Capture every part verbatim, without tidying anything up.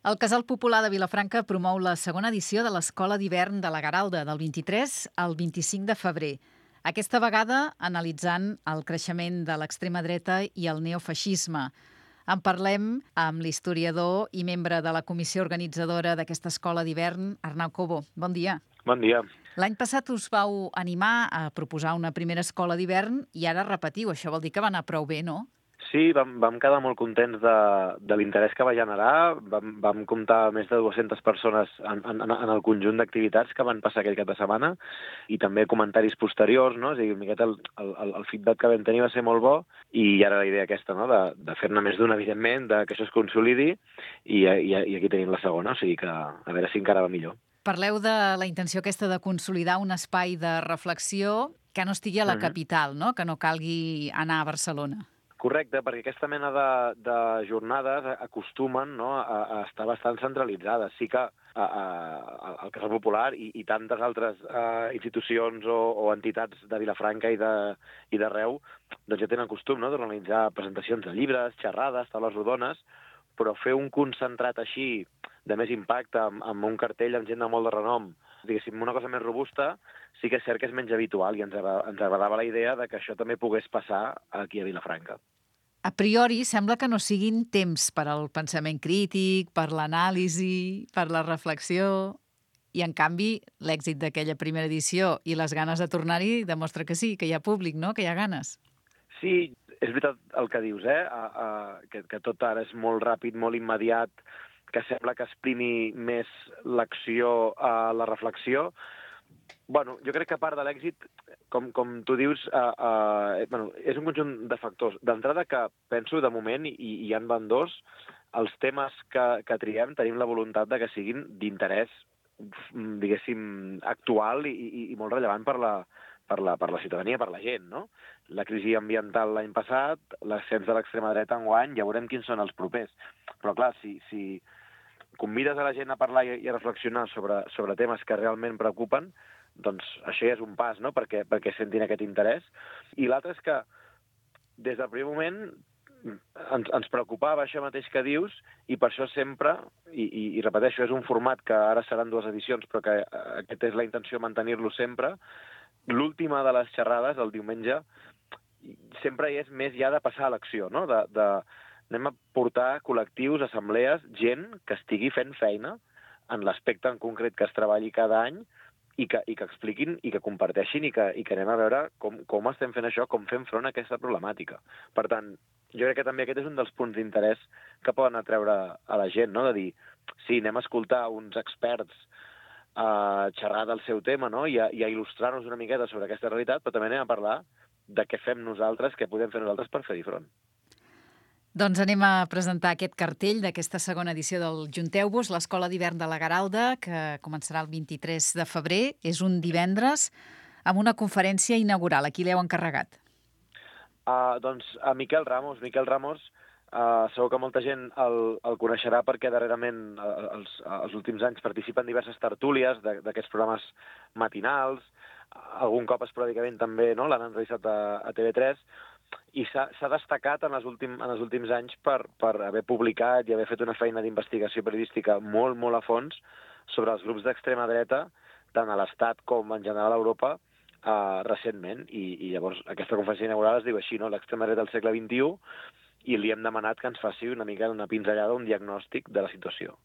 El Casal Popular de Vilafranca promou la segona edició de l'Escola d'Hivern de la Garalda, del vint-i-tres al vint-i-cinc de febrer. Aquesta vegada analitzant el creixement de l'extrema dreta i el neofeixisme. En parlem amb l'historiador i membre de la comissió organitzadora d'aquesta escola d'hivern, Arnau Cobo. Bon dia. Bon dia. L'any passat us vau animar a proposar una primera escola d'hivern i ara repetiu. Això vol dir que va anar prou bé, no? Sí, vam, vam quedar molt contents de, de l'interès que va generar. Vam, vam comptar més de dues-centes persones en, en, en el conjunt d'activitats que van passar aquell cap de setmana i també comentaris posteriors, no? És a dir, una miqueta el, el, el feedback que vam tenir va ser molt bo i ara la idea aquesta, no? de, de fer-ne més d'una, evidentment, de que això es consolidi i, i, i aquí tenim la segona, o sigui que a veure si encara va millor. Parleu de la intenció aquesta de consolidar un espai de reflexió que no estigui a la Mhm. capital, no? Que no calgui anar a Barcelona. Correcte, perquè aquesta mena de, de jornades acostumen, no, a, a estar bastant centralitzades. Sí que a, a, el Casal Popular i, i tantes altres a, institucions o, o entitats de Vilafranca i de- i d'arreu doncs ja tenen costum, no, d'organitzar presentacions de llibres, xerrades, taules rodones, però fer un concentrat així de més impacte, amb, amb un cartell amb gent de molt de renom, diguéssim, una cosa més robusta, sí que és cert que és menys habitual i ens, agra- ens agradava la idea de que això també pogués passar aquí a Vilafranca. A priori, sembla que no siguin temps per al pensament crític, per l'anàlisi, per la reflexió, i en canvi l'èxit d'aquella primera edició i les ganes de tornar-hi demostra que sí, que hi ha públic, no? Que hi ha ganes. Sí, és veritat el que dius, eh? A, a, que, que tot ara és molt ràpid, molt immediat, que sembla que exprimi més l'acció a la reflexió. Bueno, jo crec que a part de l'èxit, com, com tu dius, uh, uh, bueno, és un conjunt de factors. D'entrada que penso, de moment, i, i en van dos, els temes que, que triem tenim la voluntat de que siguin d'interès, mm, diguéssim, actual i, i, i molt rellevant per la, per la, per la ciutadania, per la gent, no? La crisi ambiental l'any passat, l'ascens de l'extrema dreta enguany, ja veurem quins són els propers. Però clar, si, si convides a la gent a parlar i, i a reflexionar sobre, sobre temes que realment preocupen, doncs això ja és un pas, no?, perquè, perquè sentin aquest interès. I l'altre és que, des del primer moment, ens, ens preocupava això mateix que dius, i per això sempre, i, i, i repeteixo, és un format que ara seran dues edicions, però que eh, aquesta és la intenció, mantenir-lo sempre, l'última de les xerrades, el diumenge, sempre és més ja de passar a l'acció, no?, de, de, anem a portar col·lectius, assemblees, gent que estigui fent feina en l'aspecte en concret que es treballi cada any i que, i que expliquin i que comparteixin i que, i que anem a veure com, com estem fent això, com fem front a aquesta problemàtica. Per tant, jo crec que també aquest és un dels punts d'interès que poden atreure a la gent, no?, de dir, sí, anem a escoltar uns experts a xerrar del seu tema, no?, i a, i a il·lustrar-nos una miqueta sobre aquesta realitat, però també anem a parlar de què fem nosaltres, què podem fer nosaltres per fer-hi front. Doncs anem a presentar aquest cartell d'aquesta segona edició del Junteu-vos, l'Escola d'Hivern de la Garalda, que començarà el vint-i-tres de febrer. És un divendres amb una conferència inaugural. A qui l'heu encarregat? Uh, doncs a Miquel Ramos. Miquel Ramos, uh, segur que molta gent el, el coneixerà perquè darrerament uh, els, els últims anys participa en diverses tertúlies de- d'aquests programes matinals, algun cop esporàdicament també, no?, l'han entrevistat a, a T V tres, i s'ha s'ha destacat en els, últim, en els últims anys per, per haver publicat i haver fet una feina d'investigació periodística molt, molt a fons sobre els grups d'extrema dreta, tant a l'Estat com en general a Europa, eh, recentment. I, I llavors aquesta conferència inaugural es diu així, no?, l'extrema dreta del segle vint-i-u, i li hem demanat que ens faci una mica una pinzellada, un diagnòstic de la situació.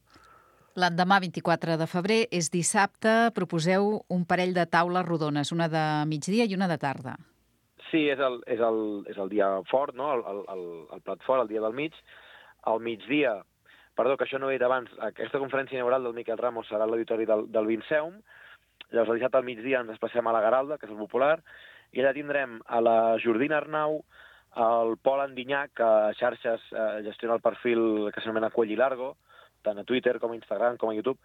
L'endemà, vint-i-quatre de febrer, és dissabte. Proposeu un parell de taules rodones, una de migdia i una de tarda. Sí, és el, és el, és el dia fort, no?, el, el, el, el plat fort, el dia del mig. Al migdia, perdó, que això no ho he dit abans, aquesta conferència inaugural del Miquel Ramos serà a l'auditori del, del Vinceum. Llavors, el dissabte al migdia ens desplacem a la Garalda, que és el Popular, i allà tindrem a la Jordina Arnau, el Pol Andinyac, que a xarxes eh, gestiona el perfil que s'anomena Cuello y Largo, tant a Twitter com a Instagram com a YouTube,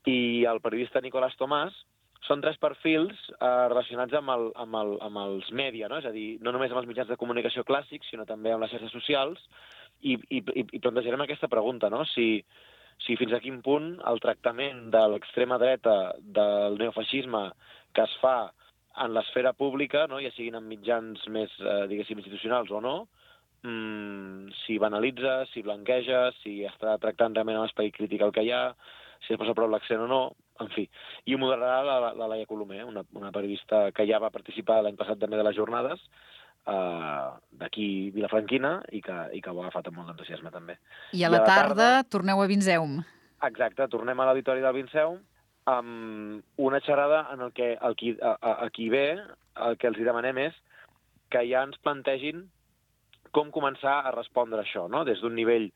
i el periodista Nicolás Tomàs. Són tres perfils eh, relacionats amb, el, amb, el, amb els mèdia, no?, és a dir, no només amb els mitjans de comunicació clàssics, sinó també amb les xarxes socials, i, i, i plantejarem aquesta pregunta, no?, si, si fins a quin punt el tractament de l'extrema dreta, del neofeixisme que es fa en l'esfera pública, no?, ja siguin en mitjans més, eh, diguéssim, institucionals o no, mmm, si banalitza, si blanqueja, si està tractant realment amb esperit crític el que hi ha, si es posa prou l'accent o no, en fi. I ho moderarà la, la Laia Colomer, una, una periodista que ja va participar l'any passat també de les jornades, eh, d'aquí vilafranquina, i que, i que ho ha agafat amb molt d'entusiasme també. I a la, I a la tarda, tarda torneu a Vinseum. Exacte, tornem a l'auditori del Vinseum amb una xerrada en el que el qui, a, a, a qui ve el que els hi demanem és que ja ens plantegin com començar a respondre a això, no? Des d'un nivell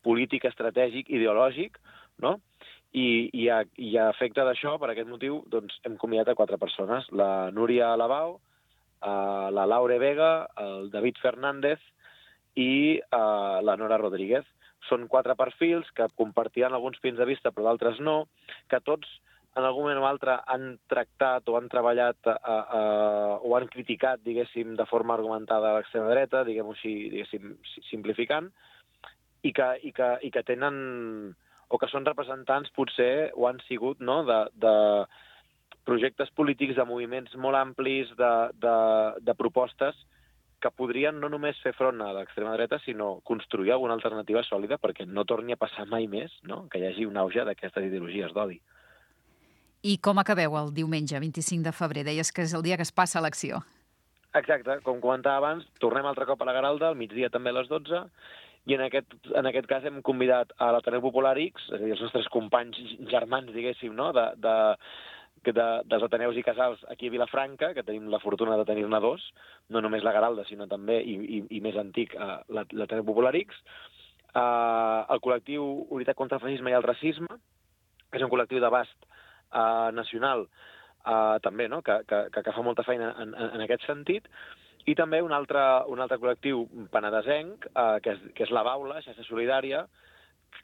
polític, estratègic, ideològic, no? I, i, a, i a efecte d'això, per aquest motiu, doncs, hem convidat a quatre persones. La Núria Alabau, eh, la Laure Vega, el David Fernández i eh, la Nora Rodríguez. Són quatre perfils que compartiran alguns punts de vista, però d'altres no, que tots en algun moment o altre han tractat o han treballat a, a, o han criticat, diguéssim, de forma argumentada a l'extrema dreta, diguem-ho així, diguéssim, simplificant, i que, i, que, i que tenen, o que són representants, potser, o han sigut, no?, de, de projectes polítics, de moviments molt amplis, de, de, de propostes que podrien no només fer front a l'extrema dreta, sinó construir alguna alternativa sòlida perquè no torni a passar mai més, no?, que hi hagi un auge d'aquestes ideologies d'odi. I com acabeu el diumenge, vint-i-cinc de febrer? Deies que és el dia que es passa a l'acció. Exacte, com comentava abans, tornem altre cop a la Garalda, al migdia també a les dotze, i en aquest, en aquest cas hem convidat a l'Ateneu Popular X, és a dir, els nostres companys germans, diguéssim, no?, de, de, de, dels Ateneus i Casals aquí a Vilafranca, que tenim la fortuna de tenir-ne dos, no només la Garalda, sinó també, i, i, i més antic, uh, l'Ateneu Popular X, uh, el col·lectiu Unitat contra el Feixisme i el Racisme, que és un col·lectiu d'abast Uh, nacional, uh, també, no?, que, que, que fa molta feina en, en, en aquest sentit, i també un altre, un altre col·lectiu penedesenc, uh, que, és, que és la Baula, Xarxa Solidària,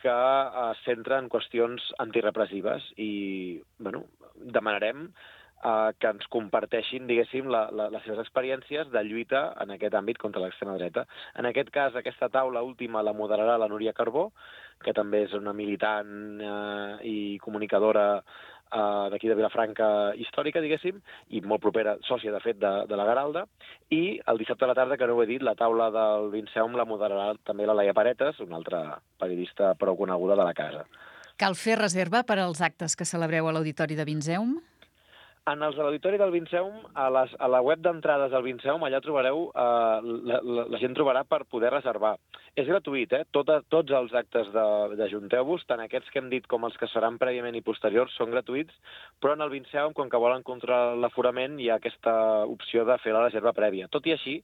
que uh, es centra en qüestions antirepressives, i bueno, demanarem uh, que ens comparteixin, diguéssim, la, la, les seves experiències de lluita en aquest àmbit contra l'extrema dreta. En aquest cas, aquesta taula última la moderarà la Núria Carbó, que també és una militant uh, i comunicadora Uh, d'aquí de Vilafranca històrica, diguéssim, i molt propera, sòcia, de fet, de, de la Garalda, i el dissabte a la tarda, que no ho he dit, la taula del Vinseum la moderarà també la Laia Paretes, una altra periodista prou coneguda de la casa. Cal fer reserva per als actes que celebreu a l'Auditori de Vinseum? En els de l'Auditori del Vinseum, a, les, a la web d'entrades del Vinseum, allà trobareu, eh, la, la, la gent trobarà per poder reservar. És gratuït, eh? Tot, tots els actes d'Ajunteu-vos, tant aquests que hem dit com els que seran prèviament i posteriors, són gratuïts, però en el Vinseum, com que volen controlar l'aforament, hi ha aquesta opció de fer la reserva prèvia. Tot i així,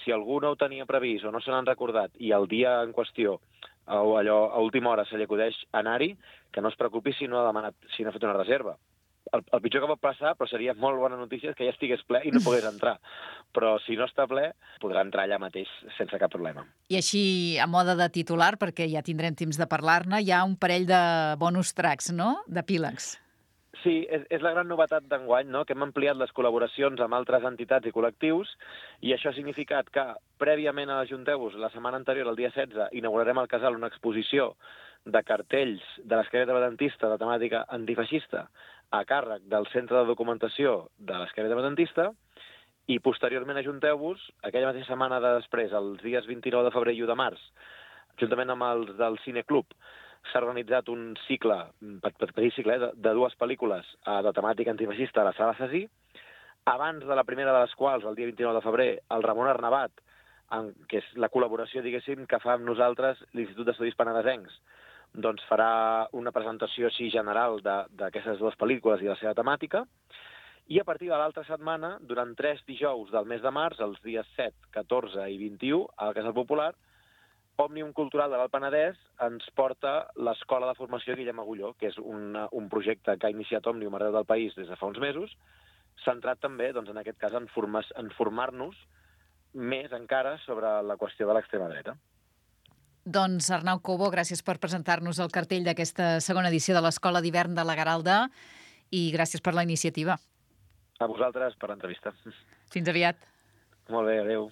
si algú no ho tenia previst o no se n'han recordat i el dia en qüestió o allò a última hora se li acudeix anar-hi, que no es preocupi si no ha demanat, si no ha fet una reserva. El, el pitjor que pot passar, però seria molt bona notícia, és que ja estigués ple i no pogués entrar. Però si no està ple, podrà entrar allà mateix sense cap problema. I així, a moda de titular, perquè ja tindrem temps de parlar-ne, hi ha un parell de bonus tracks, no?, d'epílegs. Sí, és, és la gran novetat d'enguany, no?, que hem ampliat les col·laboracions amb altres entitats i col·lectius, i això ha significat que, prèviament a l'Ajunteu-vos, la setmana anterior, el dia setze, inaugurarem al Casal una exposició de cartells de l'esquerra independentista de temàtica antifeixista a càrrec del Centre de Documentació de l'Esquerra Independentista, i posteriorment ajunteu-vos, aquella mateixa setmana de després, els dies vint-i-nou de febrer i u de març, juntament amb els del Cineclub, s'ha organitzat un cicle, petit cicle, eh, de, de dues pel·lícules eh, de temàtica antifeixista a la Sala Cesí. Abans de la primera de les quals, el dia vint-i-nou de febrer, el Ramon Arnabat, en, que és la col·laboració, diguéssim, que fa amb nosaltres l'Institut d'Estudis Penedesencs, doncs farà una presentació així general d'aquestes dues pel·lícules i la seva temàtica, i a partir de l'altra setmana, durant tres dijous del mes de març, els dies set, catorze i vint-i-u, al Casal Popular, Òmnium Cultural de l'Alt Penedès ens porta l'Escola de Formació Guillem Agulló, que és un, un projecte que ha iniciat Òmnium arreu del país des de fa uns mesos, centrat també, doncs, en aquest cas, en, formar, en formar-nos més encara sobre la qüestió de l'extrema dreta. Doncs Arnau Cobo, gràcies per presentar-nos el cartell d'aquesta segona edició de l'Escola d'Hivern de la Garalda i gràcies per la iniciativa. A vosaltres per l'entrevista. Fins aviat. Molt bé, adéu.